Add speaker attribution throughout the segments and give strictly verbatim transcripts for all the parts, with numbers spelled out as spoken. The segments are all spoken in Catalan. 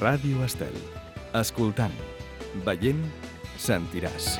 Speaker 1: Ràdio Estel. Escoltant, veient, sentiràs.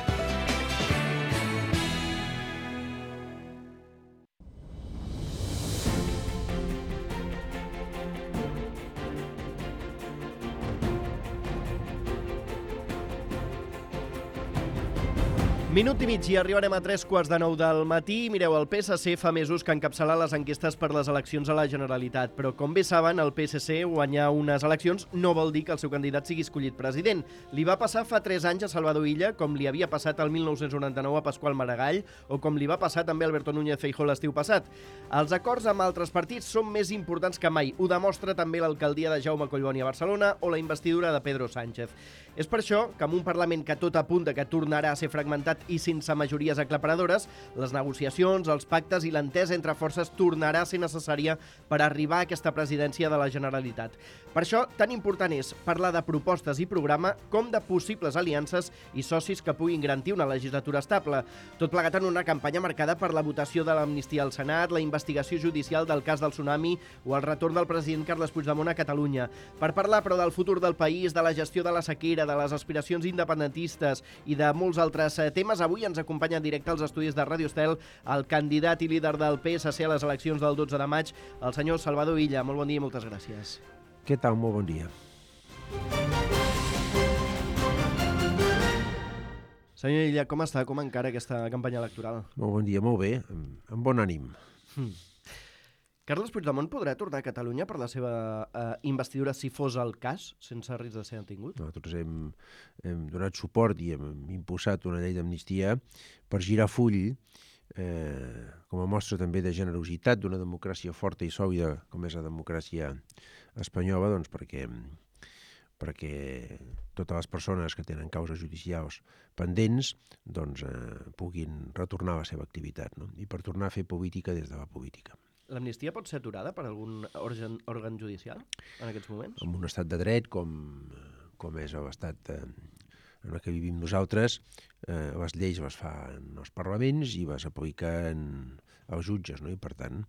Speaker 2: Minut i mig i arribarem a tres quarts de nou del matí. Mireu, el P S C fa mesos que encapçala les enquestes per les eleccions a la Generalitat, però com bé saben, el P S C guanyar unes eleccions no vol dir que el seu candidat sigui escollit president. Li va passar fa tres anys a Salvador Illa, com li havia passat el mil nou-cents noranta-nou a Pasqual Maragall, o com li va passar també a Alberto Núñez Feijóo l'estiu passat. Els acords amb altres partits són més importants que mai. Ho demostra també l'alcaldia de Jaume Collboni a Barcelona o la investidura de Pedro Sánchez. És per això que amb un Parlament que tot apunta que tornarà a ser fragmentat i sense majories aclaparadores, les negociacions, els pactes i l'entesa entre forces tornarà a ser necessària per arribar a aquesta presidència de la Generalitat. Per això, tan important és parlar de propostes i programa com de possibles aliances i socis que puguin garantir una legislatura estable. Tot plegat en una campanya marcada per la votació de l'amnistia al Senat, la investigació judicial del cas del tsunami o el retorn del president Carles Puigdemont a Catalunya. Per parlar, però, del futur del país, de la gestió de la sequera, de les aspiracions independentistes i de molts altres temes, avui ens acompanya en directe als estudis de Ràdio Estel el candidat i líder del P S C a les eleccions del dotze de maig, el senyor Salvador Illa. Molt bon dia i moltes gràcies.
Speaker 3: Què tal? Molt bon dia.
Speaker 2: Senyor Illa, com està? Com encara aquesta campanya electoral?
Speaker 3: Molt bon dia, molt bé, amb, amb bon ànim.
Speaker 2: Hmm. Carles Puigdemont podrà tornar a Catalunya per la seva eh, investidura si fos el cas, sense risc de ser detingut?
Speaker 3: Nosaltres hem, hem donat suport i hem impulsat una llei d'amnistia per girar full, eh, com a mostra també de generositat d'una democràcia forta i sòlida com és la democràcia espanyola, doncs perquè, perquè totes les persones que tenen causes judicials pendents doncs, eh, puguin retornar a la seva activitat, no? I per tornar a fer política des de la política.
Speaker 2: L'amnistia pot ser aturada per algun òrgan, òrgan judicial en aquests moments?
Speaker 3: En un estat de dret com, com és l'estat eh, en el que vivim nosaltres, eh, les lleis les fan els parlaments i les apliquen els jutges, no? I per tant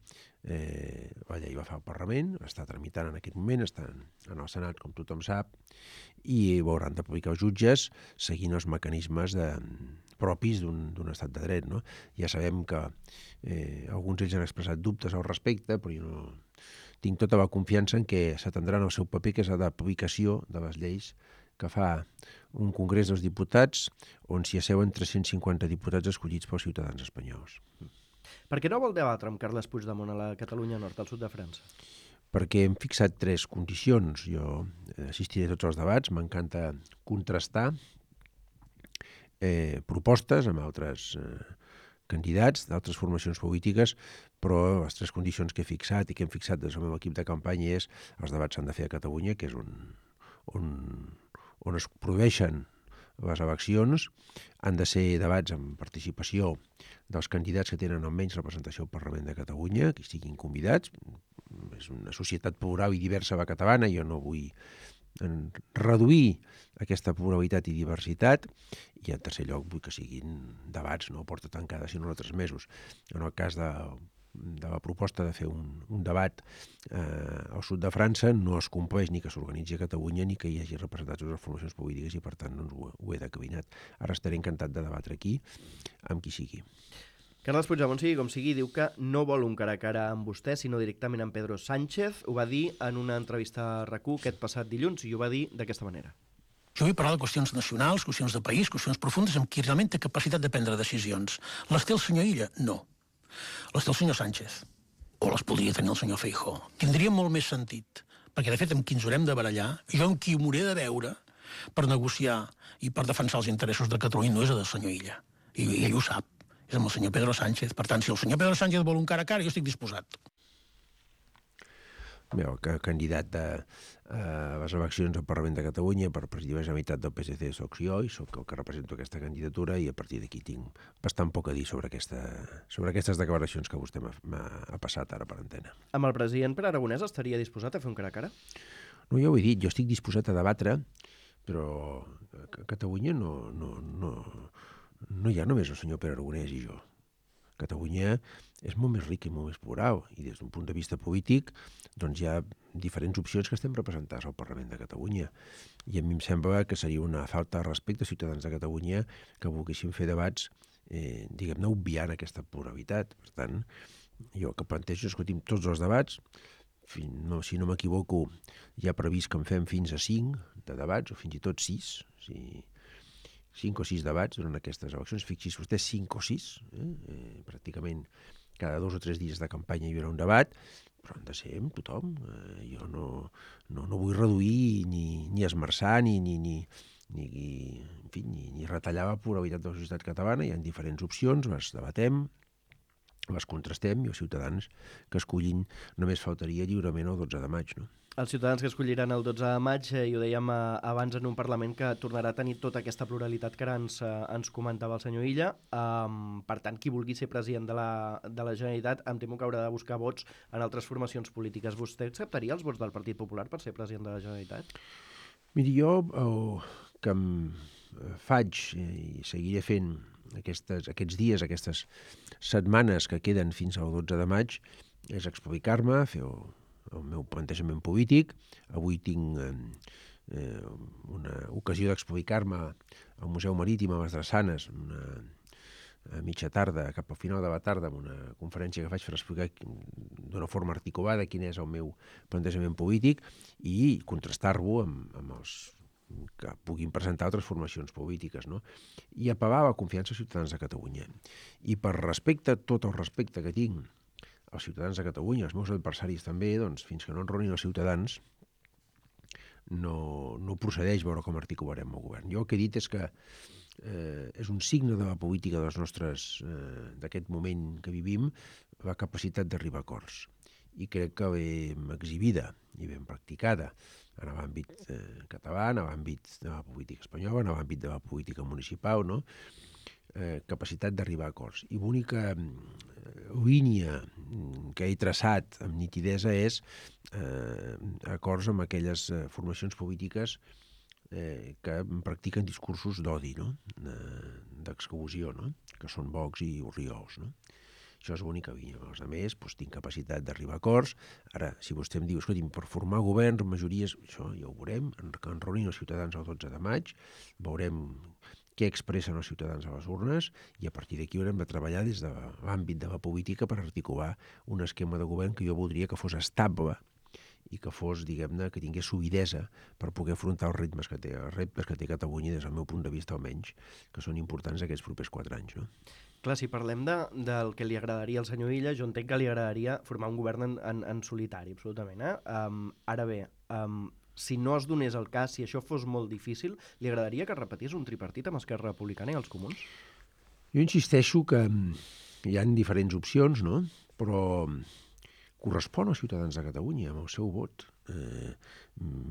Speaker 3: eh, la llei la fa el Parlament, està tramitant en aquest moment, està en el Senat, com tothom sap, i ho hauran d'aplicar els jutges seguint els mecanismes de propis d'un estat de dret, no? Ja sabem que eh, alguns ells han expressat dubtes al respecte, però jo no tinc tota la confiança en que s'atendran al seu paper, que és la d'aplicació de les lleis que fa un Congrés dels Diputats on s'hi asseuen tres-cents cinquanta diputats escollits pels ciutadans espanyols.
Speaker 2: Per què no vol debatre amb Carles Puigdemont a la Catalunya Nord, al sud de França?
Speaker 3: Perquè hem fixat tres condicions. Jo assistiré a tots els debats, m'encanta contrastar Eh, propostes amb altres eh, candidats d'altres formacions polítiques, però les tres condicions que he fixat i que hem fixat des del meu equip de campanya és els debats s'han de fer a Catalunya, que és on, on, on es produeixen les eleccions, han de ser debats amb participació dels candidats que tenen almenys representació al Parlament de Catalunya, que estiguin convidats. És una societat plural i diversa la catalana, jo no vull en reduir aquesta pluralitat i diversitat, i en tercer lloc vull que siguin debats, no a porta tancada, sinó a tres mesos. En el cas de, de la proposta de fer un, un debat eh, al sud de França, no es compleix ni que s'organitzi a Catalunya ni que hi hagi representats de les formacions polítiques i per tant doncs, ho, ho he declinat. Ara estaré encantat de debatre aquí amb qui sigui.
Speaker 2: Carles Puigdemont, sigui com sigui, diu que no vol un cara a cara amb vostè, sinó directament amb Pedro Sánchez. Ho va dir en una entrevista a RAC1 aquest passat dilluns i ho va dir d'aquesta manera.
Speaker 4: Jo vull parlar de qüestions nacionals, qüestions de país, qüestions profundes amb qui realment té capacitat de prendre decisions. Les té el senyor Illa? No. Les té el senyor Sánchez. O les podria tenir el senyor Feijóo. Tindria molt més sentit, perquè de fet amb qui ens haurem de barallar, jo amb qui m'hauré de veure per negociar i per defensar els interessos de Catalunya no és el del senyor Illa. I, i ell ho sap. És amb el senyor Pedro Sánchez. Per tant, si el senyor Pedro Sánchez vol un cara a cara, jo estic disposat.
Speaker 3: Bé, el candidat de uh, les eleccions al Parlament de Catalunya per presidir la Generalitat del P S C soc jo i soc el que represento aquesta candidatura i a partir d'aquí tinc bastant poc a dir sobre, aquesta, sobre aquestes declaracions que vostè m'ha passat ara per antena.
Speaker 2: Amb el president Pere Aragonès estaria disposat a fer un cara a cara?
Speaker 3: No, ja ho he dit, jo estic disposat a debatre, però a Catalunya no, no, no, no hi ha només el senyor Pere Aragonès i jo. Catalunya és molt més ric i molt més plural, i des d'un punt de vista polític doncs hi ha diferents opcions que estem representades al Parlament de Catalunya. I a mi em sembla que seria una falta de respecte als ciutadans de Catalunya que volguessin fer debats, eh, diguem-ne, obviant aquesta pluralitat. Per tant, jo el que plantejo és, escolti'm, tots els debats, fin, no, si no m'equivoco, hi ha previst que en fem fins a cinc de debats, o fins i tot sis, si... cinc o sis debats durant aquestes eleccions. Fixi's vostè, cinc o sis, eh? Eh, pràcticament cada dos o tres dies de campanya hi haurà un debat, però han de ser amb tothom. Eh, jo no, no, no vull reduir ni, ni esmerçar ni, ni, ni, ni, en fi, ni, ni retallar la pluralitat de la societat catalana. Hi ha diferents opcions, les debatem, les contrastem, i els ciutadans que escollin només faltaria lliurement el dotze de maig, no?
Speaker 2: Els ciutadans que escolliran el dotze de maig, eh, i ho dèiem eh, abans, en un Parlament que tornarà a tenir tota aquesta pluralitat que ara ens, eh, ens comentava el senyor Illa. Um, per tant, qui vulgui ser president de la, de la Generalitat, em temo que haurà de buscar vots en altres formacions polítiques. Vostè acceptaria els vots del Partit Popular per ser president de la Generalitat?
Speaker 3: Miri, jo el que em faig i seguiré fent aquestes, aquests dies, aquestes setmanes que queden fins al dotze de maig, és explicar-me, fer el, el meu plantejament polític. Avui tinc eh, una ocasió d'explicar-me al Museu Marítim a les Drassanes, una, a mitja tarda, cap al final de la tarda, amb una conferència que faig per explicar d'una forma articulada quin és el meu plantejament polític i contrastar-lo amb, amb els que puguin presentar altres formacions polítiques, no? I apel·lar a la confiança als ciutadans de Catalunya. I per respecte, tot el respecte que tinc als ciutadans de Catalunya, els meus adversaris també, doncs fins que no enronin els ciutadans, no, no procedeix veure com articularem el govern. Jo el que he dit és que eh, és un signe de la política dels nostres, eh, d'aquest moment que vivim, la capacitat d'arribar a acords. I crec que ben exhibida i ben practicada en l'àmbit eh, català, en l'àmbit de la política espanyola, en l'àmbit de la política municipal, no? Eh, capacitat d'arribar a acords. I l'única línia que he traçat amb nitidesa és eh, acords amb aquelles eh, formacions polítiques eh, que practiquen discursos d'odi, no? D'exclusió, no? Que són Vox i Oriols, no? Això és l'única línia. Els altres doncs, tinc capacitat d'arribar a acords. Ara, si vostè em diu, escolti'm, per formar governs, majories, això ja ho veurem, que enronin els ciutadans el dotze de maig, veurem què expressen els ciutadans a les urnes, i a partir d'aquí haurem de treballar des de l'àmbit de la política per articular un esquema de govern que jo voldria que fos estable i que fos, diguem-ne, que tingués solidesa per poder afrontar els ritmes que té, els reptes que té Catalunya des del meu punt de vista almenys, que són importants aquests propers quatre anys, no?
Speaker 2: Clar, si parlem de, del que li agradaria al senyor Illa, jo entenc que li agradaria formar un govern en, en, en solitari, absolutament. Eh? Um, ara bé, um, si no es donés el cas, si això fos molt difícil, li agradaria que es repetís un tripartit amb Esquerra Republicana i els comuns?
Speaker 3: Jo insisteixo que hi ha diferents opcions, no? Però correspon als ciutadans de Catalunya, amb el seu vot, eh,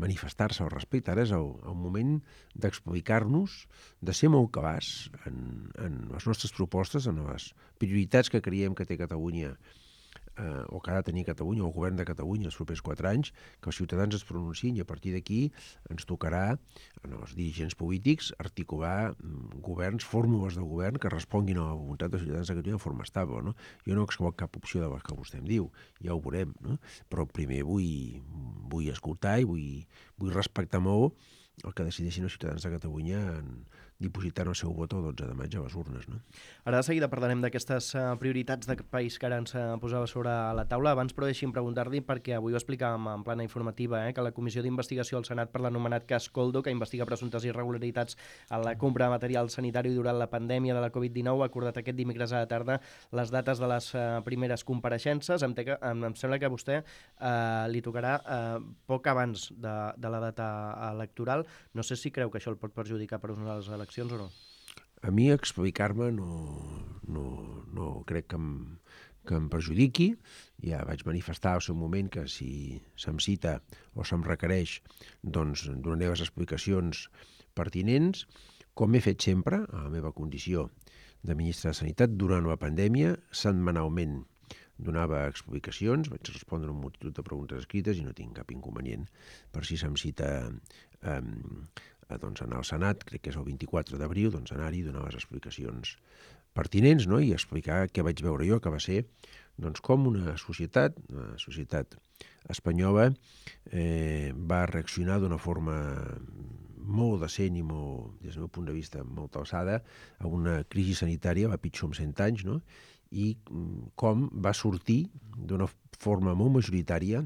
Speaker 3: manifestar-se al respecte. Ara és el, el moment d'explicar-nos, de ser molt clars en, en les nostres propostes, en les prioritats que creiem que té Catalunya, eh, o que ha de tenir Catalunya, o el govern de Catalunya els propers quatre anys, que els ciutadans es pronunciïn, i a partir d'aquí ens tocarà, als dirigents polítics, articular governs, fórmules de govern que responguin a la voluntat dels ciutadans de Catalunya de forma estable, no? Jo no excloc cap opció de les que vostè em diu, ja ho veurem, no? Però primer vull, vull escoltar i vull, vull respectar molt el que decideixin els ciutadans de Catalunya en dipositar el seu vot el dotze de maig a les urnes, no?
Speaker 2: Ara de seguida parlarem d'aquestes uh, prioritats de país que ara ens uh, posava sobre la taula. Abans, però, deixi'm preguntar-li, perquè avui ho explicàvem en plana informativa, eh, que la Comissió d'Investigació al Senat per l'anomenat cas Coldo, que investiga presumptes irregularitats en la compra de material sanitari durant la pandèmia de la covid dinou, ha acordat aquest dimecres a la tarda les dates de les uh, primeres compareixences. Em, que, em, em sembla que a vostè uh, li tocarà uh, poc abans de, de la data electoral. No sé si creu que això el pot perjudicar per unes eleccions o no.
Speaker 3: A mi explicar-me no, no, no crec que em, que em perjudiqui. Ja vaig manifestar al seu moment que si se'm cita o se'm requereix, doncs donaré les explicacions pertinents, com he fet sempre a la meva condició de ministre de Sanitat durant la pandèmia. Setmanalment donava explicacions, vaig respondre a una multitud de preguntes escrites i no tinc cap inconvenient per si se'm cita eh, doncs anar al Senat, crec que és el vint-i-quatre d'abril, doncs anar-hi i donar les explicacions pertinents, no? I explicar què vaig veure jo, que va ser doncs, com una societat, una societat espanyola, eh, va reaccionar d'una forma molt decent i molt, des del meu punt de vista, molt alçada a una crisi sanitària, va pitjor amb cent anys, no? I com va sortir d'una forma molt majoritària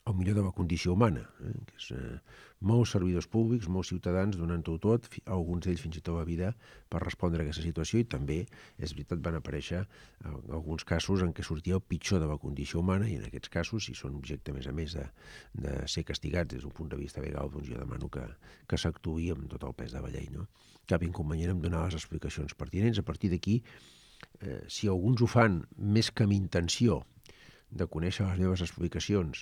Speaker 3: el millor de la condició humana, eh? que és eh, molts servidors públics, molts ciutadans donant-ho tot, alguns d'ells fins i tot la vida, per respondre a aquesta situació, i també, és veritat, van aparèixer eh, alguns casos en què sortia el pitjor de la condició humana, i en aquests casos, si són objecte, a més a més, de, de ser castigats des d'un punt de vista legal, doncs jo demano que, que s'actuï amb tot el pes de la llei. No? Cap inconvenient en donar les explicacions pertinents. A partir d'aquí, eh, si alguns ho fan més que amb intenció de conèixer les meves explicacions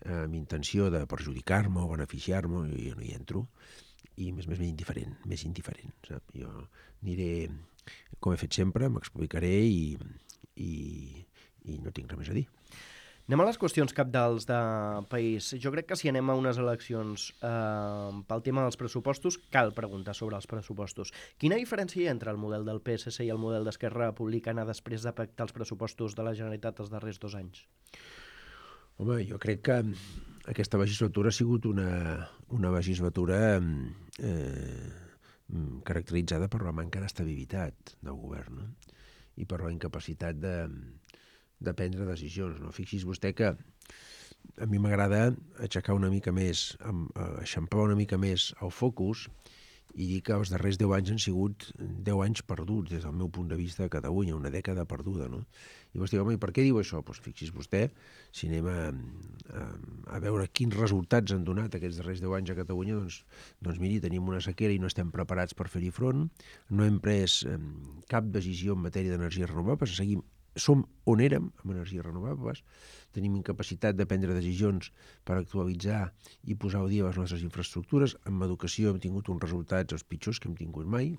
Speaker 3: eh, amb intenció de perjudicar-me o beneficiar-me, jo, jo no hi entro, i més més més indiferent, més indiferent, sap? Jo aniré, com he fet sempre, m'explicaré i, i, i no tinc res més a dir.
Speaker 2: Anem a les qüestions cabdals de país. Jo crec que si anem a unes eleccions eh, pel tema dels pressupostos, cal preguntar sobre els pressupostos. Quina diferència hi ha entre el model del P S C i el model d'Esquerra Republicana després de pactar els pressupostos de la Generalitat els darrers dos anys?
Speaker 3: Home, jo crec que aquesta legislatura ha sigut una, una legislatura eh, caracteritzada per la manca d'estabilitat del govern, no? I per la incapacitat de... de prendre decisions. No? Fixi's vostè que a mi m'agrada aixecar una mica més, eixamplar una mica més el focus i dir que els darrers deu anys han sigut deu anys perduts des del meu punt de vista de Catalunya, una dècada perduda. No? I vostè diu, home, i per què diu això? Doncs fixi's vostè, si anem a, a, a veure quins resultats han donat aquests darrers deu anys a Catalunya, doncs, doncs miri, tenim una sequera i no estem preparats per fer-hi front, no hem pres eh, cap decisió en matèria d'energies renovables, seguim som on érem, amb energies renovables, tenim incapacitat de prendre decisions per actualitzar i posar al dia les nostres infraestructures. En educació hem tingut uns resultats els pitjors que hem tingut mai,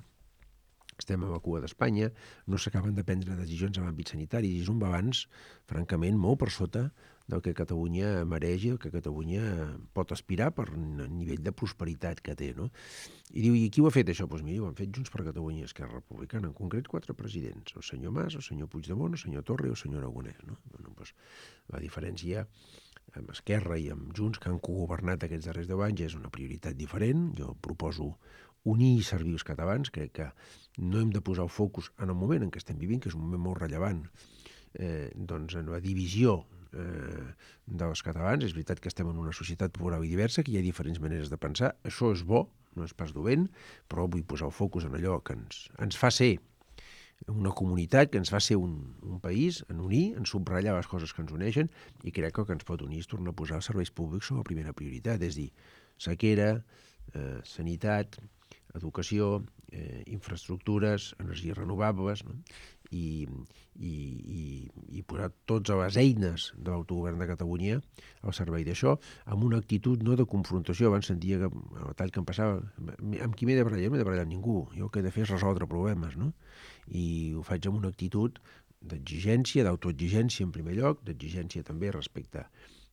Speaker 3: estem a la cua d'Espanya, no s'acaben de prendre decisions en l'àmbit sanitari, i és un balanç, francament, molt per sota del que Catalunya mereix i el que Catalunya pot aspirar per el nivell de prosperitat que té. No? I diu, i qui ho ha fet això? Doncs miri, ho han fet Junts per Catalunya i Esquerra Republicana, en concret quatre presidents, el senyor Mas, el senyor Puigdemont, el senyor Torra i el senyor Aragonès. No? Bueno, doncs, la diferència amb Esquerra i amb Junts, que han cogovernat aquests darrers deu anys, és una prioritat diferent. Jo proposo unir i servir els catalans. Crec que no hem de posar el focus en el moment en què estem vivint, que és un moment molt rellevant, eh, doncs en la divisió eh, dels catalans. És veritat que estem en una societat plural i diversa, que hi ha diferents maneres de pensar. Això és bo, no és pas dolent, però vull posar el focus en allò que ens, ens fa ser una comunitat, que ens fa ser un, un país, en unir, en subratllar les coses que ens uneixen, i crec que el que ens pot unir és tornar a posar els serveis públics com a primera prioritat, és dir, sequera, eh, sanitat, educació, eh, infraestructures, energies renovables, no? I, i, i, i posar totes les eines de l'autogovern de Catalunya al servei d'això, amb una actitud no de confrontació. Abans sentia que el tall que em passava, amb qui m'he de barallar? No m'he de barallar amb ningú. Jo el que he de fer és resoldre problemes, no? I ho faig amb una actitud d'exigència, d'autoexigència en primer lloc, d'exigència també respecte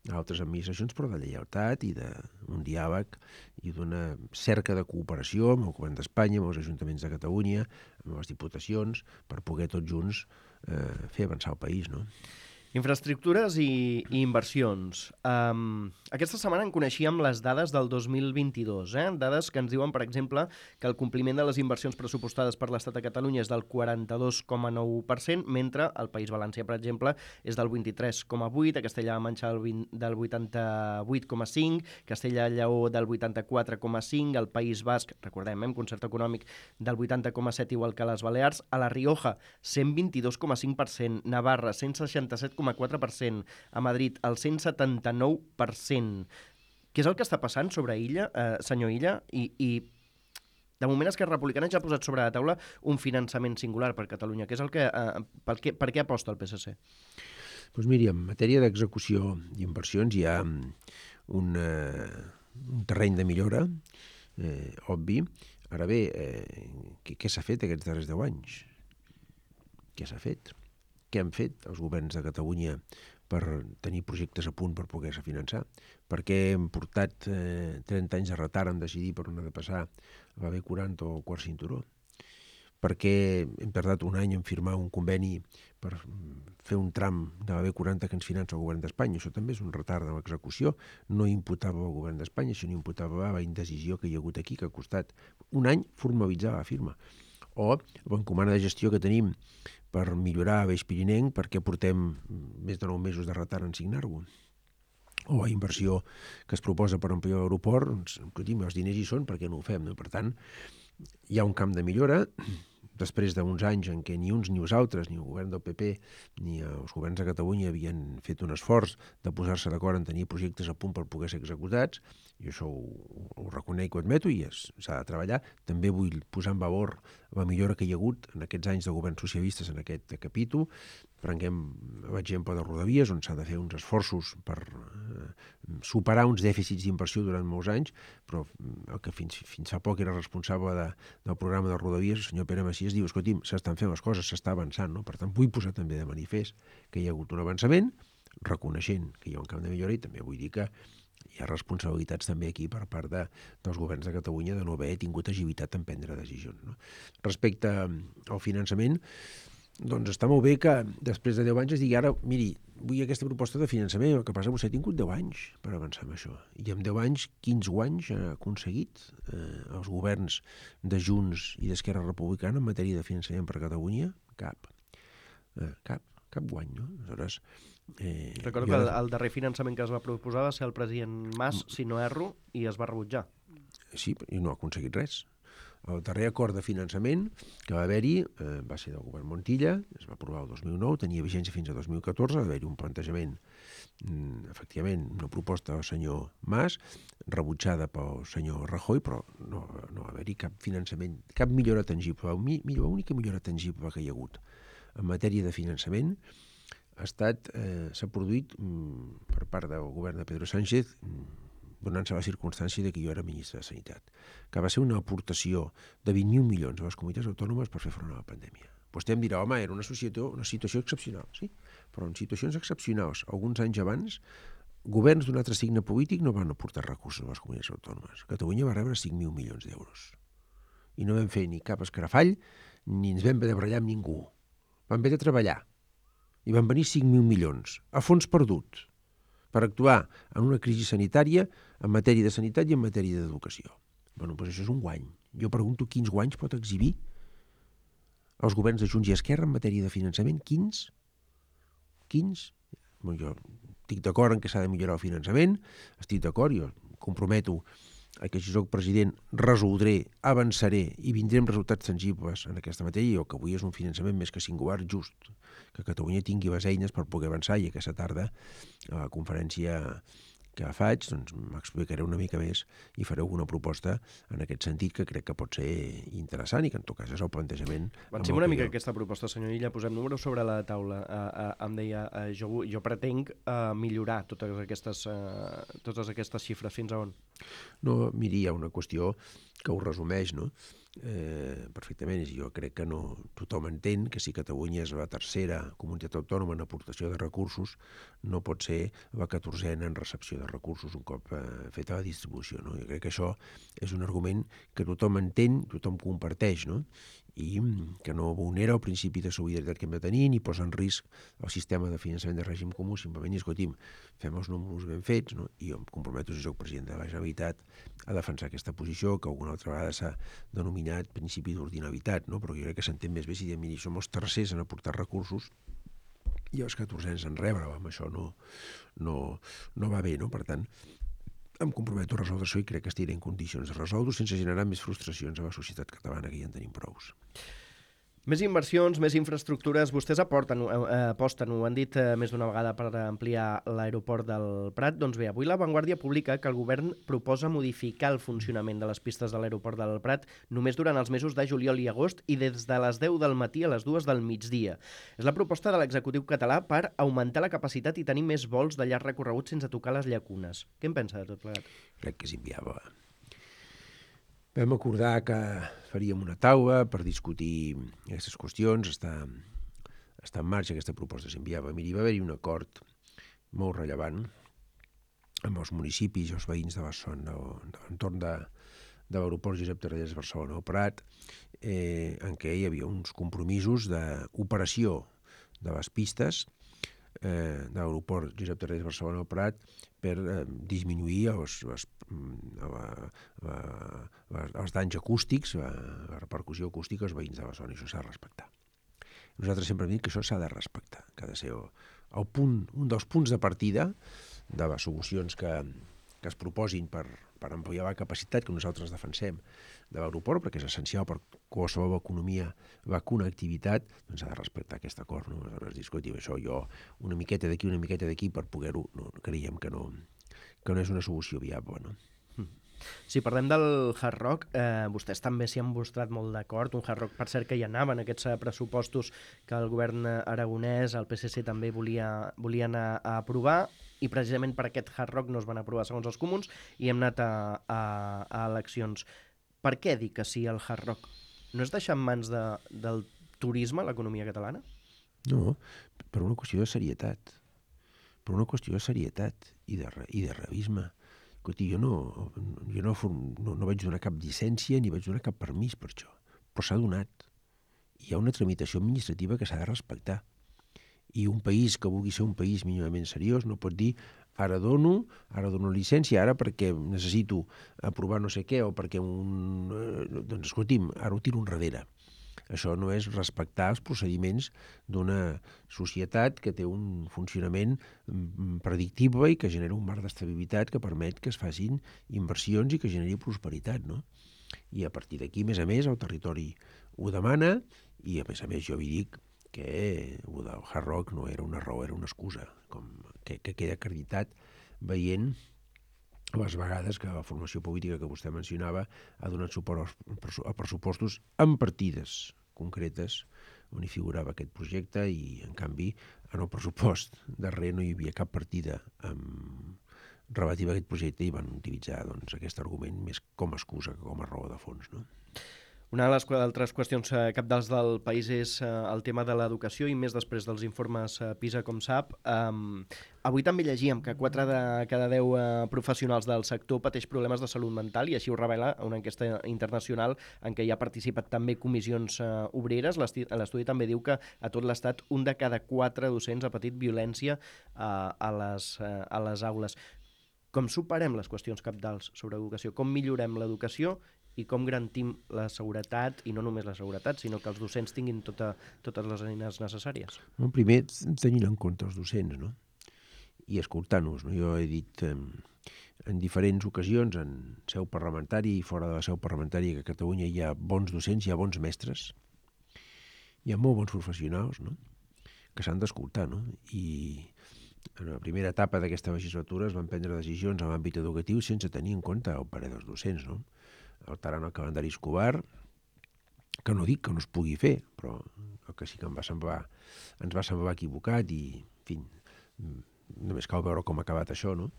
Speaker 3: a altres administracions, però de lleialtat i d'un diàleg i d'una cerca de cooperació amb el govern d'Espanya, amb els ajuntaments de Catalunya, amb les diputacions, per poder tots junts eh, fer avançar el país, no?
Speaker 2: Infraestructures i, i inversions. Um, aquesta setmana en coneixíem les dades del dos mil vint-i-dos, eh? Dades que ens diuen, per exemple, que el compliment de les inversions pressupostades per l'Estat a Catalunya és del quaranta-dos coma nou per cent, mentre al País Valencià, per exemple, és del vint-i-tres coma vuit per cent, a Castella-La Manxa del vuitanta-vuit coma cinc per cent, Castella-Lleó del vuitanta-quatre coma cinc per cent, el País Basc, recordem, eh, amb concert econòmic, del vuitanta coma set per cent, igual que les Balears, a la Rioja, cent vint-i-dos coma cinc per cent, Navarra, cent seixanta-set coma quatre per cent, a Madrid, el cent setanta-nou per cent. Què és el que està passant sobre Illa, eh, senyor Illa? I, i de moment Esquerra Republicana ja ha posat sobre la taula un finançament singular per Catalunya, que és el que, eh, per, què, per què aposta el P S C?
Speaker 3: Doncs miri, en matèria d'execució d'inversions hi ha un, eh, un terreny de millora, eh, obvi. Ara bé, eh, què, què s'ha fet aquests darrers deu anys? Què s'ha fet? Què han fet els governs de Catalunya per tenir projectes a punt per poder-se finançar? Per què hem portat eh, trenta anys de retard en decidir per on ha de passar la B quaranta o el quart cinturó? perquè hem tardat un any en firmar un conveni per fer un tram de la B quaranta que ens finança el govern d'Espanya. Això també és un retard de l'execució. No imputava al govern d'Espanya, sinó imputava a la indecisió que hi ha hagut aquí, que ha costat un any formalitzar la firma. O l'encomana de gestió que tenim per millorar l'Eix Pirinenc, perquè portem més de nou mesos de retard en signar-ho. O la inversió que es proposa per ampliar l'aeroport, doncs, els diners hi són, per què no ho fem? No? Per tant, hi ha un camp de millora, després d'uns anys en què ni uns ni els altres, ni el govern del P P ni els governs de Catalunya havien fet un esforç de posar-se d'acord en tenir projectes a punt per poder ser executats, i això ho, ho reconec i ho admeto i s'ha de treballar. També vull posar en valor la millora que hi ha hagut en aquests anys de governs socialistes en aquest capítol. Prenguem l'exemple de Rodalies, on s'ha de fer uns esforços per eh, superar uns dèficits d'inversió durant molts anys, però el que fins, fins fa poc era responsable de, del programa de Rodalies, el senyor Pere Macias, diu, escolti'm, s'estan fent les coses, s'està avançant, no? Per tant, vull posar també de manifest que hi ha hagut un avançament, reconeixent que hi ha un camp de millora, i també vull dir que hi ha responsabilitats també aquí per part de, dels governs de Catalunya de no haver tingut agilitat en prendre decisions. No? Respecte al finançament, doncs està molt bé que després de deu anys es digui ara, miri, vull aquesta proposta de finançament, el que passa és que vostè ha tingut deu anys per avançar en això. I en deu anys, quins guanys ha aconseguit eh, els governs de Junts i d'Esquerra Republicana en matèria de finançament per a Catalunya? Cap. Eh, cap. Cap guany, no? Aleshores,
Speaker 2: eh, Recordo que el, el darrer finançament que es va proposar va ser el president Mas, si no erro, i es va rebutjar.
Speaker 3: Sí, i no ha aconseguit res. El darrer acord de finançament que va haver-hi eh, va ser del govern Montilla, es va aprovar el dos mil nou, tenia vigència fins a dos mil catorze, va haver-hi un plantejament, mm, efectivament, una proposta del senyor Mas, rebutjada pel senyor Rajoy, però no, no va haver-hi cap finançament, cap millora tangible. L'única millora tangible que hi ha hagut en matèria de finançament ha estat, eh, s'ha produït mm, per part del govern de Pedro Sánchez, mm, donant-se la circumstància de que jo era ministre de Sanitat, que va ser una aportació de vint mil milions a les comunitats autònomes per fer front a la pandèmia. Vostè em dirà, home, era una situació, una situació excepcional, sí, però en situacions excepcionals, alguns anys abans, governs d'un altre signe polític no van aportar recursos a les comunitats autònomes. Catalunya va rebre cinc mil milions d'euros. I no vam fer ni cap escarafall, ni ens vam haver de barallar amb ningú. Vam haver de treballar. I van venir cinc mil milions, a fons perdut, per actuar en una crisi sanitària en matèria de sanitat i en matèria d'educació. Bé, doncs això és un guany. Jo pregunto quins guanys pot exhibir els governs de Junts i Esquerra en matèria de finançament. Quins? Quins? Bé, jo estic d'acord en que s'ha de millorar el finançament, estic d'acord, jo comprometo que si soc president resoldré, avançaré i vindrem resultats tangibles en aquesta matèria, i el que avui és un finançament més que singular just, que Catalunya tingui les eines per poder avançar, i aquesta tarda a la conferència que faig doncs m'explicaré una mica més i faré alguna proposta en aquest sentit que crec que pot ser interessant i que en tot cas és el plantejament.
Speaker 2: Avancem una mica jo... aquesta proposta, senyor Illa, posem números sobre la taula. Uh, uh, em deia, uh, jo, jo pretenc uh, millorar totes aquestes, uh, totes aquestes xifres. Fins a on?
Speaker 3: No, miri, hi ha una qüestió que ho resumeix, no? Eh, perfectament, i jo crec que no tothom entén que si Catalunya és la tercera comunitat autònoma en aportació de recursos, no pot ser la catorzena en recepció de recursos un cop eh, feta la distribució, no? Jo crec que això és un argument que tothom entén, tothom comparteix, no? I que no vulnera el principi de solidaritat que hem de tenir ni posa en risc el sistema de finançament de règim comú, simplement, i escolti'm, fem els números ben fets, no? I jo em comprometo, si soc president de la Generalitat, a defensar aquesta posició, que alguna altra vegada s'ha denominat principi d'ordinalitat, no? Però jo crec que s'entén més bé si diem, miri, som els tercers en aportar recursos i els catorzens en rebre, amb això no, no, no va bé, no? Per tant, em comprometo a resoldre això i crec que estiré en condicions de resoldre sense generar més frustracions a la societat catalana, que ja en tenim prous.
Speaker 2: Més inversions, més infraestructures, vostès aporten, eh, aposten, ho han dit eh, més d'una vegada per ampliar l'aeroport del Prat. Doncs bé, avui La Vanguardia publica que el govern proposa modificar el funcionament de les pistes de l'aeroport del Prat només durant els mesos de juliol i agost i des de les deu del matí a les dues del migdia. És la proposta de l'executiu català per augmentar la capacitat i tenir més vols de llarg recorregut sense tocar les llacunes. Què en pensa de tot plegat?
Speaker 3: Crec que és inviable. Vam acordar que faríem una taula per discutir aquestes qüestions. Està, està en marxa aquesta proposta, s'enviava. Miri, va haver-hi un acord molt rellevant amb els municipis i els veïns de la zona, de l'entorn de, de l'aeroport Josep Tarradellas Barcelona-Prat, eh, en què hi havia uns compromisos d'operació de les pistes eh, de l'aeroport Josep Tarradellas Barcelona-Prat per eh, disminuir els, els, la, la, la, els danys acústics, la, la repercussió acústica als veïns de la zona, i això s'ha de respectar. Nosaltres sempre hem dit que això s'ha de respectar, que ha de ser el, el punt, un dels punts de partida de les solucions que, que es proposin per, per ampliar la capacitat que nosaltres defensem de l'aeroport, perquè és essencial per qualsevol economia, la connectivitat, doncs s'ha de respectar aquest acord. No? Aleshores, discutim això, jo una miqueta d'aquí, una miqueta d'aquí, per poder-ho, no, creiem que no, que no és una solució viable. No?
Speaker 2: Si parlem del Hard Rock, eh, vostès també s'hi han mostrat molt d'acord. Un Hard Rock, per cert, que hi anava en aquests pressupostos que el govern aragonès, el P S C també volia, volia anar a aprovar, i precisament per aquest Hard Rock no es van aprovar segons els comuns i hem anat a, a, a eleccions. Per què dir que sí al Hard Rock? No és deixar en mans de, del turisme l'economia catalana?
Speaker 3: No, per una qüestió de serietat. Per una qüestió de serietat i de, i de realisme. Escolti, jo, no, jo no, no, no vaig donar cap llicència ni vaig donar cap permís per això, però s'ha donat. Hi ha una tramitació administrativa que s'ha de respectar. I un país que vulgui ser un país mínimament seriós no pot dir ara dono, ara dono llicència, ara perquè necessito aprovar no sé què o perquè un... Doncs escolti'm, ara ho tiro enrere. Això no és respectar els procediments d'una societat que té un funcionament predictible i que genera un marc d'estabilitat que permet que es facin inversions i que generi prosperitat, no? I a partir d'aquí, a més a més, el territori ho demana i, a més a més, jo vi dic que el del Hard Rock no era una raó, era una excusa, com que, que queda acreditat veient les vegades que la formació política que vostè mencionava ha donat suport a pressupostos amb partides concretes on hi figurava aquest projecte i, en canvi, en el pressupost darrer no hi havia cap partida amb... relativa a aquest projecte i van utilitzar doncs, aquest argument més com a excusa que com a raó de fons, no?
Speaker 2: Una de les altres qüestions eh, cabdals del país és eh, el tema de l'educació i més després dels informes eh, PISA, com sap. Um, avui també llegíem que quatre de cada deu eh, professionals del sector pateix problemes de salut mental i així ho revela una enquesta internacional en què hi ha participat també comissions eh, obreres. L'estudi també diu que a tot l'Estat un de cada quatre docents ha patit violència eh, a, les, eh, a les aules. Com superem les qüestions cabdals sobre educació? Com millorem l'educació i com garantim la seguretat, i no només la seguretat, sinó que els docents tinguin tota, totes les eines necessàries?
Speaker 3: Bueno, primer, tenint en compte els docents, no? I escoltant-nos. No? Jo he dit eh, en diferents ocasions, en seu parlamentària i fora de la seu parlamentària, que a Catalunya hi ha bons docents, hi ha bons mestres, hi ha molt bons professionals, no? Que s'han d'escoltar, no? I en la primera etapa d'aquesta legislatura es van prendre decisions en l'àmbit educatiu sense tenir en compte el parer dels docents, no? Alterant el calendari escolar, que no dic que no es pugui fer, però el que sí que em va semblar, ens va semblar equivocat i, en fi, només cal veure com ha acabat això, no?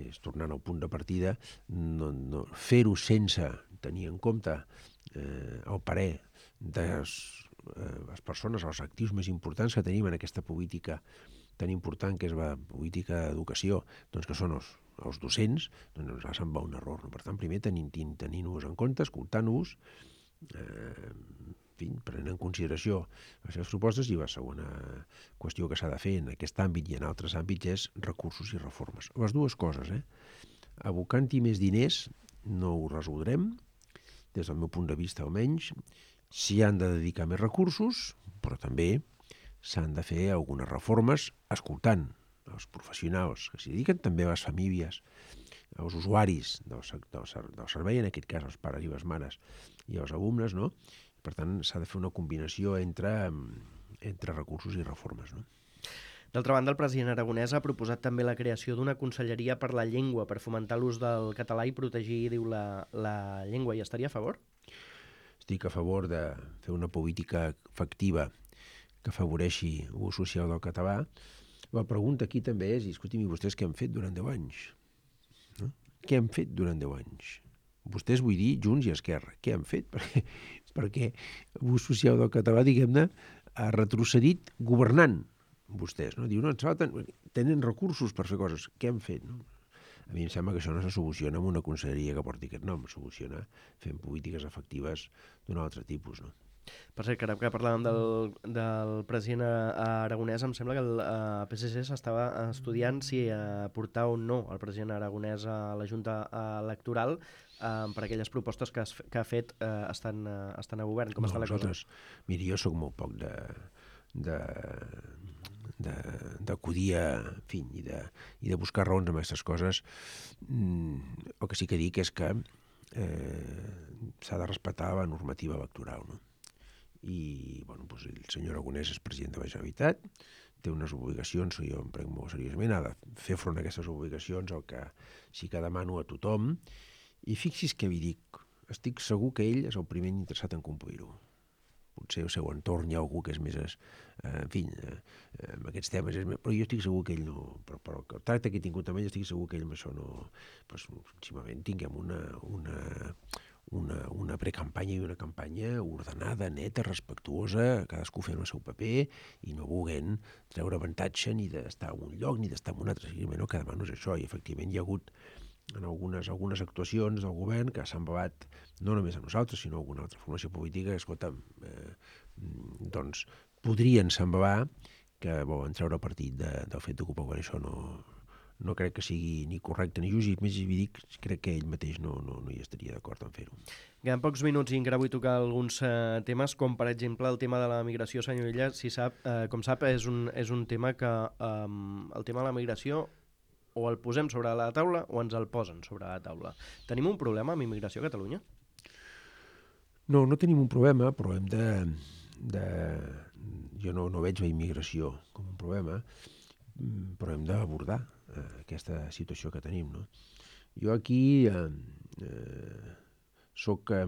Speaker 3: És tornant al punt de partida, no, no, fer-ho sense tenir en compte eh, el parer de les, eh, les persones, els actius més importants que tenim en aquesta política tan important que és la política d'educació, doncs que són els, els docents, doncs ens sembla un error. No? Per tant, primer tenint-nos tenint en compte, escoltant-nos, eh, en fi, prenent en consideració les seves propostes, i la segona qüestió que s'ha de fer en aquest àmbit i en altres àmbits és recursos i reformes. Les dues coses, eh? Abocant-hi més diners no ho resoldrem, des del meu punt de vista almenys, s'hi han de dedicar més recursos, però també s'han de fer algunes reformes escoltant els professionals que s'hi dediquen, també a les famílies, als usuaris del, del, del servei, en aquest cas els pares i les mares i els alumnes, no? Per tant, s'ha de fer una combinació entre, entre recursos i reformes, no?
Speaker 2: D'altra banda, el president aragonès ha proposat també la creació d'una conselleria per la llengua, per fomentar l'ús del català i protegir, diu, la, la llengua. Hi estaria a favor?
Speaker 3: Estic a favor de fer una política efectiva que afavoreixi l'ús social del català. La pregunta aquí també és, escolti'm, i vostès què han fet durant deu anys? No? Què han fet durant deu anys? Vostès, vull dir, Junts i Esquerra, què han fet? Perquè, perquè l'ús social del català, diguem-ne, ha retrocedit governant vostès. No? Diu, no, ens falten, tenen recursos per fer coses. Què han fet? No? A mi em sembla que això no se soluciona amb una conselleria que porti aquest nom, es soluciona fent polítiques efectives d'un altre tipus, no?
Speaker 2: Per cert, que ara que parlàvem del, del president aragonès, em sembla que el uh, P S C s'estava estudiant si uh, portar o no el president aragonès a la Junta Electoral uh, per aquelles propostes que, has, que ha fet uh, estan, uh, estan a govern. Com
Speaker 3: no,
Speaker 2: està la cosa?
Speaker 3: Miri, jo sóc molt poc de... de d'acudir a, en fi, i de, i de buscar raons amb aquestes coses. Mm, el que sí que dic és que eh, s'ha de respectar la normativa electoral, no? I, bueno, doncs el senyor Aragonès és president de la Generalitat, té unes obligacions, jo em prenc molt seriosament, ha de fer front a aquestes obligacions, el que sí que demano a tothom, i fixi's què vi dic, estic segur que ell és el primer interessat en complir-ho. Potser al seu entorn hi ha algú que és més, eh, en fi, eh, amb aquests temes, és més, però jo estic segur que ell no, però, però el tracte que he tingut amb ell, estic segur que ell amb això no, doncs, simplement tinguem una, una, una, una precampanya i una campanya ordenada, neta, respectuosa, cadascú fent el seu paper i no volent treure avantatge ni d'estar en un lloc ni d'estar en un altre. Simplement el que demano és això, i efectivament hi ha hagut en algunes, algunes actuacions del govern que s'han bavat no només a nosaltres, sinó a alguna altra formació política, que, escolta, eh, doncs podrien s'embavar que volen treure partit de, del fet d'ocupar quan això no, no crec que sigui ni correcte ni just, i més hi dic, crec que ell mateix no, no, no hi estaria d'acord en fer-ho.
Speaker 2: Queden pocs minuts i encara vull tocar alguns eh, temes, com per exemple el tema de la migració, senyor Illa. Si sap, eh, com sap, és un, és un tema que eh, el tema de la migració o el posem sobre la taula o ens el posen sobre la taula. Tenim un problema amb immigració a Catalunya?
Speaker 3: No, no tenim un problema, però hem de... de jo no, no veig la immigració com un problema, però hem d'abordar eh, aquesta situació que tenim, no? Jo aquí eh, eh, soc eh,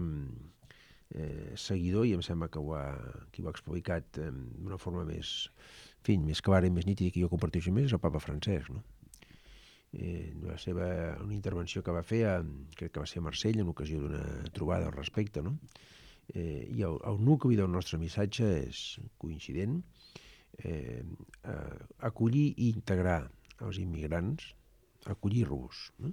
Speaker 3: seguidor, i em sembla que ho ha, qui ho ha explicat eh, d'una forma més, en fi, més clara i més nítida, que jo comparteixo més, és el papa Francesc, no? Eh, la seva, una intervenció que va fer, a, crec que va ser a Marsella, en ocasió d'una trobada al respecte, no? Eh, I el, el nucli del nostre missatge és coincident, eh, eh, acollir i integrar els immigrants, acollir-los, no?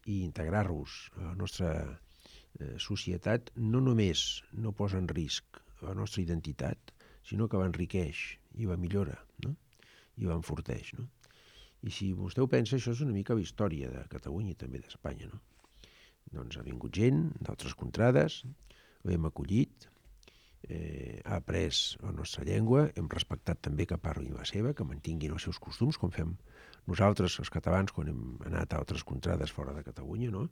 Speaker 3: I integrar-los a la nostra eh, societat no només no posa en risc la nostra identitat, sinó que l'enriqueix i la millora, no? I l'enforteix, no? I si vostè ho pensa, això és una mica la història de Catalunya i també d'Espanya, no? Doncs ha vingut gent d'altres contrades, l'hem acollit, eh, ha après la nostra llengua, hem respectat també que parlin la seva, que mantinguin els seus costums, com fem nosaltres, els catalans, quan hem anat a altres contrades fora de Catalunya, no?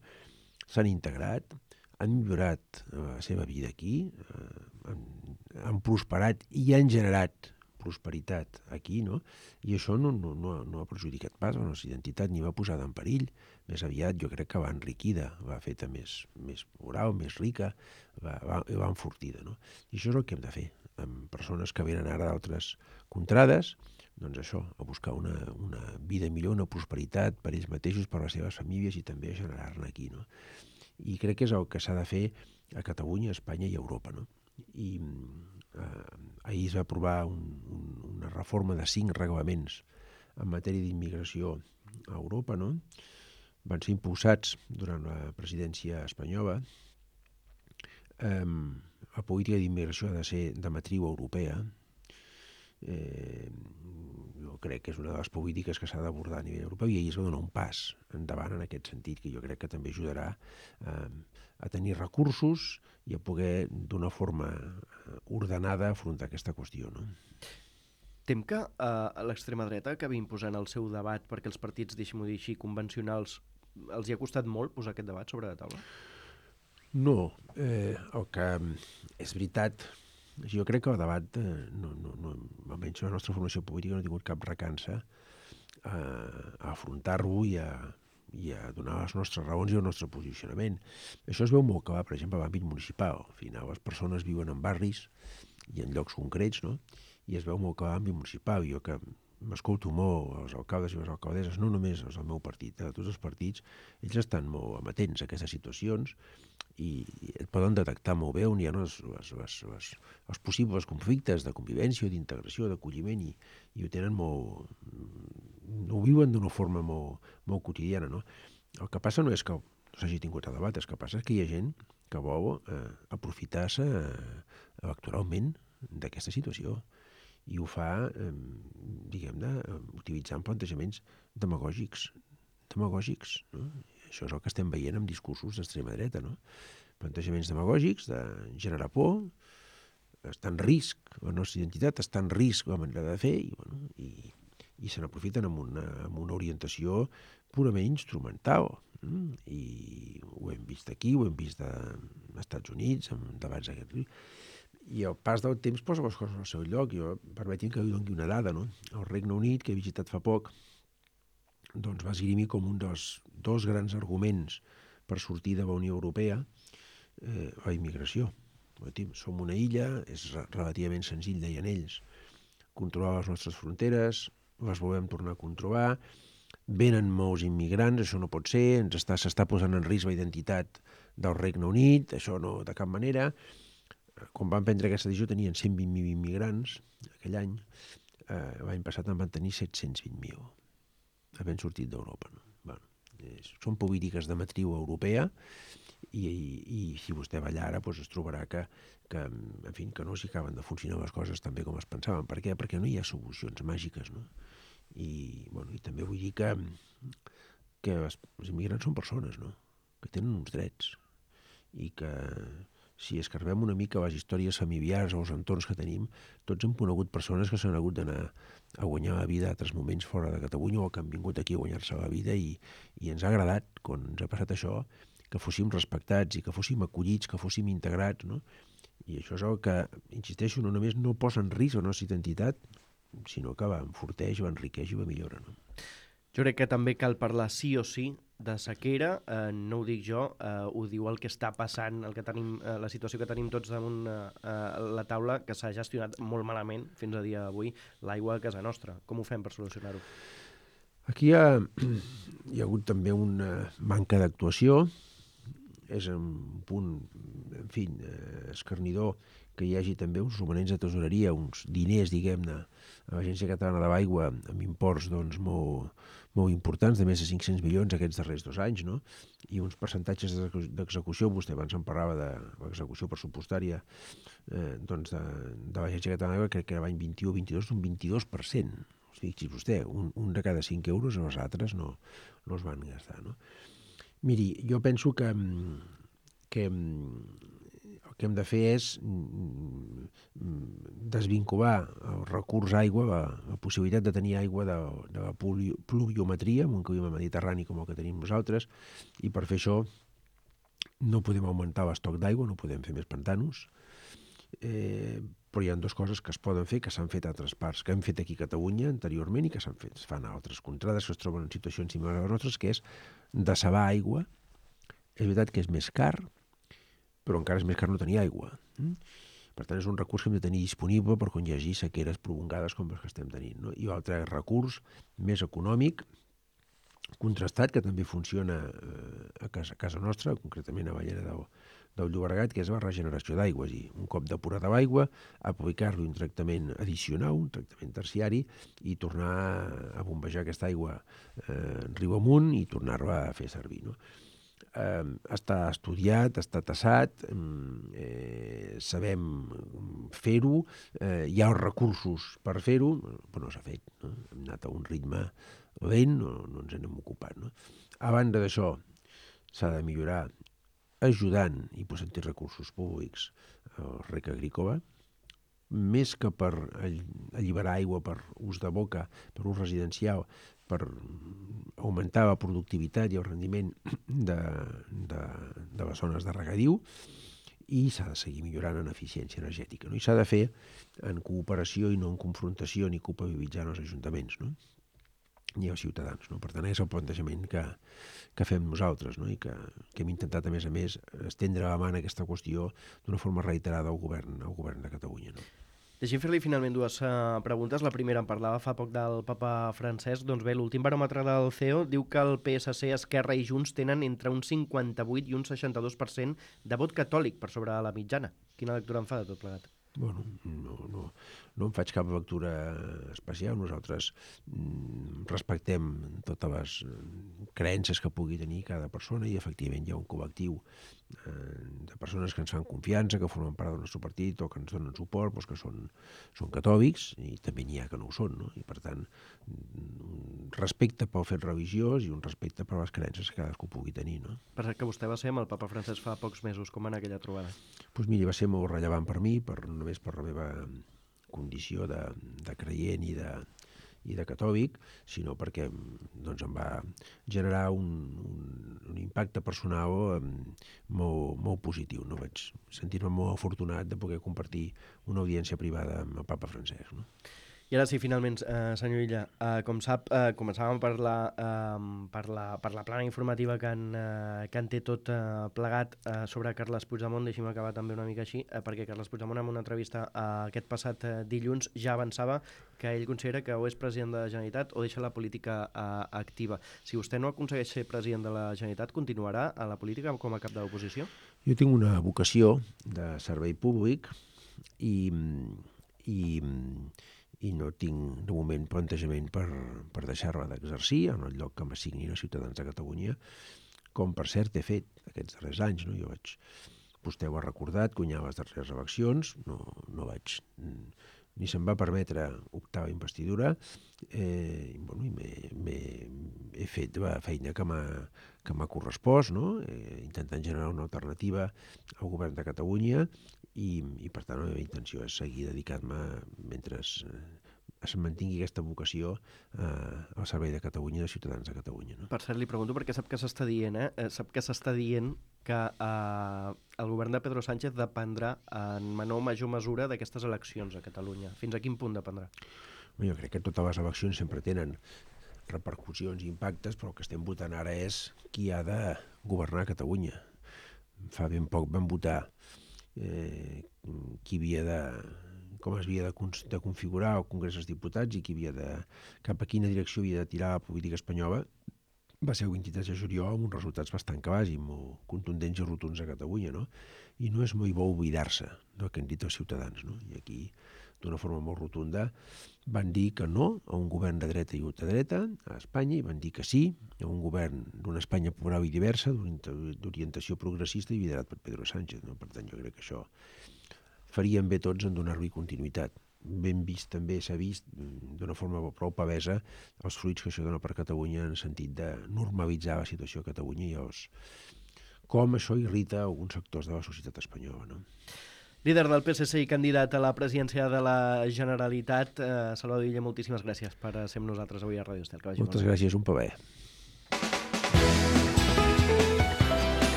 Speaker 3: S'han integrat, han millorat la seva vida aquí, eh, han, han prosperat i han generat prosperitat aquí, no? I això no, no, no, no ha perjudicat pas la nostra identitat ni va posar en perill. Més aviat jo crec que va enriquida, va feta més, més moral, més rica, va, va, va enfortida, no? I això és el que hem de fer amb persones que venen ara d'altres contrades, doncs això, a buscar una, una vida millor, una prosperitat per ells mateixos, per les seves famílies i també a generar-ne aquí, no? I crec que és el que s'ha de fer a Catalunya, a Espanya i a Europa, no? I eh, ahir es va aprovar un, un, una reforma de cinc reglaments en matèria d'immigració a Europa, no? Van ser impulsats durant la presidència espanyola. Eh, la política d'immigració ha de ser de matriu europea. Eh, jo crec que és una de les polítiques que s'ha d'abordar a nivell europeu, i ahir es va donar un pas endavant en aquest sentit, que jo crec que també ajudarà eh, a tenir recursos i a poder d'una forma ordenada afrontar aquesta qüestió, no?
Speaker 2: Tem que eh, l'extrema dreta acabi imposant el seu debat perquè els partits, deixem-ho dir així, convencionals, els hi ha costat molt posar aquest debat sobre la taula?
Speaker 3: No, eh, el que és veritat, jo crec que el debat, eh, no, no, no, almenys la nostra formació política no ha tingut cap recança a, a afrontar-ho i a, i a donar les nostres raons i el nostre posicionament. Això es veu molt clar, per exemple, a l'àmbit municipal. Al final, les persones viuen en barris i en llocs concrets, no? I es veu molt clar a l'àmbit municipal. Jo que m'escolto molt els alcaldes i les alcaldesses, no només els del meu partit, eh, de tots els partits, ells estan molt amatents a aquestes situacions i et poden detectar molt bé on hi ha les, les, les, les, els possibles conflictes de convivència, d'integració, d'acolliment, i, i ho tenen molt... ho viuen d'una forma molt, molt quotidiana, no? El que passa no és que no s'hagi tingut a debat, el que passa és que hi ha gent que vol eh, aprofitar-se eh, electoralment d'aquesta situació, i ho fa, eh, diguem-ne, utilitzant plantejaments demagògics, demagògics, no? Això és el que estem veient amb discursos d'extrema dreta, no? Plantejaments demagògics de generar por, està en risc, la nostra identitat està en risc la manera de fer, i, bueno, i, i se n'aprofiten amb una, amb una orientació purament instrumental. Mm? I ho hem vist aquí, ho hem vist als Estats Units, amb debats d'aquest... I el pas del temps posa les coses al seu lloc. Jo, permetin que li doni una dada, no? El Regne Unit, que he visitat fa poc, doncs va esgrimir com un dels dos grans arguments per sortir de la Unió Europea eh, la immigració. Som una illa, és relativament senzill, deien ells, controlar les nostres fronteres, les volem tornar a controlar, venen molts immigrants, això no pot ser, ens està, s'està posant en risc la identitat del Regne Unit, això no, de cap manera. Quan van prendre aquesta decisió tenien cent vint mil immigrants aquell any, eh, l'any passat en van tenir set-cents vint mil, havent sortit d'Europa. No? Bueno, és, són polítiques de matriu europea, i, i, i si vostè va allà ara doncs es trobarà que, que, en fi, que no s'hi acaben de funcionar les coses tan bé com es pensaven. Per què? Perquè no hi ha solucions màgiques, no? I, bueno, i també vull dir que, que els, els immigrants són persones, no? Que tenen uns drets, i que si escarbem una mica les històries familiars o els entorns que tenim, tots hem conegut persones que s'han hagut d'anar a guanyar la vida a altres moments fora de Catalunya, o que han vingut aquí a guanyar-se la vida, i, i ens ha agradat, quan ens ha passat això, que fóssim respectats i que fóssim acollits, que fóssim integrats, no? I això és el que, insisteixo, no només no posa en risc la nostra identitat, sinó que va enforteix, va enriqueix i va millora, no?
Speaker 2: Jo crec que també cal parlar sí o sí de sequera, eh, no ho dic jo, eh, ho diu el que està passant, el que tenim, eh, la situació que tenim tots damunt eh, la taula, que s'ha gestionat molt malament fins a dia d'avui l'aigua a casa nostra. Com ho fem per solucionar-ho?
Speaker 3: Aquí hi ha, hi ha hagut també una manca d'actuació, és un punt, en fi, eh, escarnidor que hi hagi també uns romanents de tesoreria, uns diners, diguem-ne, a l'Agència Catalana de l'Aigua, amb imports doncs, molt, molt importants, de més de cinc-cents milions aquests darrers dos anys, no? I uns percentatges d'execució, vostè abans em parlava de l'execució pressupostària eh, doncs de, de l'Agència Catalana de l'Aigua, crec que era l'any vint-i-u o vint-i-dos, un vint-i-dos per cent. Fixi's vostè, un, un de cada cinc euros, els altres no, no es van gastar, no? Miri, jo penso que, que el que hem de fer és desvincular el recurs aigua, la, la possibilitat de tenir aigua de, de la pluviometria, en un clima mediterrani com el que tenim nosaltres, i per fer això no podem augmentar l'estoc d'aigua, no podem fer més pantanos, eh, però hi ha dues coses que es poden fer, que s'han fet a altres parts, que hem fet aquí a Catalunya anteriorment i que s'han fet, es fan a altres contrades que es troben en situacions similars a les nostres, que és dessalar aigua. És veritat que és més car, però encara és més car no tenir aigua. Per tant, és un recurs que hem de tenir disponible per quan hi hagi sequeres prolongades com les que estem tenint, no? I l'altre recurs més econòmic, contrastat, que també funciona a casa, a casa nostra, concretament a Ballera del, del Llobregat, que és la regeneració d'aigua, és a dir, un cop depurada l'aigua, aplicar-li un tractament addicional, un tractament terciari, i tornar a bombejar aquesta aigua eh, riu amunt i tornar-la a fer servir, no? Eh, està estudiat, està tassat, eh, sabem fer-ho, eh, hi ha els recursos per fer-ho, però no s'ha fet, no? Hem anat a un ritme lent, no, no ens n'hem ocupat, no? A banda d'això, s'ha de millorar ajudant i posant recursos públics al rec agrícola, més que per alliberar aigua per ús de boca, per ús residencial, per augmentar la productivitat i el rendiment de, de, de les zones de regadiu, i s'ha de seguir millorant en eficiència energètica, no? I s'ha de fer en cooperació i no en confrontació ni culpabilitzant els ajuntaments, no? Ni els ciutadans, no? Per tant, és el plantejament que, que fem nosaltres, no? I que, que hem intentat, a més a més, estendre la mà en aquesta qüestió d'una forma reiterada al govern, al govern de Catalunya, no?
Speaker 2: Deixi'm fer-li finalment dues uh, preguntes. La primera, en parlava fa poc del papa Francesc. Doncs bé, l'últim baròmetre del C E O diu que el P S C, Esquerra i Junts tenen entre un cinquanta-vuit i un seixanta-dos per cent de vot catòlic per sobre la mitjana. Quina lectura en fa de tot plegat?
Speaker 3: Bueno, no, no, no en faig cap lectura especial. Nosaltres mm, respectem totes les creences que pugui tenir cada persona i efectivament hi ha un col·lectiu eh, de persones que ens fan confiança, que formen part del nostre partit o que ens donen suport, doncs que són, són catòlics, i també n'hi ha que no ho són, no? I per tant, un respecte pel fet religiós i un respecte per les creences que cadascú pugui tenir, no?
Speaker 2: Per cert que vostè va ser amb el papa Francesc fa pocs mesos. Com va anar aquella trobada?
Speaker 3: Doncs mira, va ser molt rellevant per mi, per, només per la meva condició de, de creient i de, i de catòlic, sinó perquè doncs, em va generar un, un, un impacte personal molt, molt positiu. No? Vaig sentir-me molt afortunat de poder compartir una audiència privada amb el papa Francesc. No?
Speaker 2: I ara sí, finalment, eh, senyor Illa, eh, com sap, eh, començàvem per la, eh, per, la, per la plana informativa que en, eh, que en té tot eh, plegat eh, sobre Carles Puigdemont. Deixi'm acabar també una mica així, eh, perquè Carles Puigdemont en una entrevista eh, aquest passat eh, dilluns ja avançava que ell considera que o és president de la Generalitat o deixa la política eh, activa. Si vostè no aconsegueix ser president de la Generalitat, continuarà a la política com a cap de l'oposició?
Speaker 3: Jo tinc una vocació de servei públic i... i i no tinc de moment plantejament per, per deixar-la d'exercir en el lloc que m'assignin els ciutadans de Catalunya, com per cert he fet aquests darrers anys. No? Jo vaig, vostè ho ha recordat, guanyar les darreres eleccions, no, no vaig, ni se'm va permetre optar a la investidura, eh, i, bueno, i m'he, m'he, he fet la feina que m'ha, que m'ha correspost, no? eh, intentant generar una alternativa al govern de Catalunya, i, i per tant la meva intenció és seguir dedicant-me mentre es, es mantingui aquesta vocació eh, al servei de Catalunya i dels ciutadans de Catalunya. No?
Speaker 2: Per cert, li pregunto perquè sap que s'està dient, eh? Sap que s'està dient que eh, el govern de Pedro Sánchez dependrà en menor o major mesura d'aquestes eleccions a Catalunya. Fins a quin punt dependrà?
Speaker 3: Jo crec que totes les eleccions sempre tenen repercussions i impactes, però el que estem votant ara és qui ha de governar Catalunya. Fa ben poc vam votar eh, qui havia de, com es havia de, de configurar el Congrés dels Diputats i qui havia de, cap a quina direcció havia de tirar la política espanyola. Va ser el vint-i-tres de juliol amb uns resultats bastant clars i molt contundents i rotunds a Catalunya, no? I no és molt bo oblidar-se del que han dit els ciutadans, no? I aquí, d'una forma molt rotunda, van dir que no a un govern de dreta i ultradreta a Espanya, i van dir que sí a un govern d'una Espanya plural i diversa, d'orientació progressista i liderat per Pedro Sánchez. No? Per tant, jo crec que això faríem bé tots en donar-li continuïtat. Ben vist també s'ha vist d'una forma prou pavesa els fruits que això dona per Catalunya en el sentit de normalitzar la situació a Catalunya i els, com això irrita alguns sectors de la societat espanyola. No?
Speaker 2: Líder del P S C i candidat a la presidència de la Generalitat, eh, Salvador Illa, moltíssimes gràcies per ser amb nosaltres avui a Ràdio Estel.
Speaker 3: Moltes gràcies, un plaer.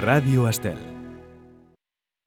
Speaker 1: Ràdio Estel.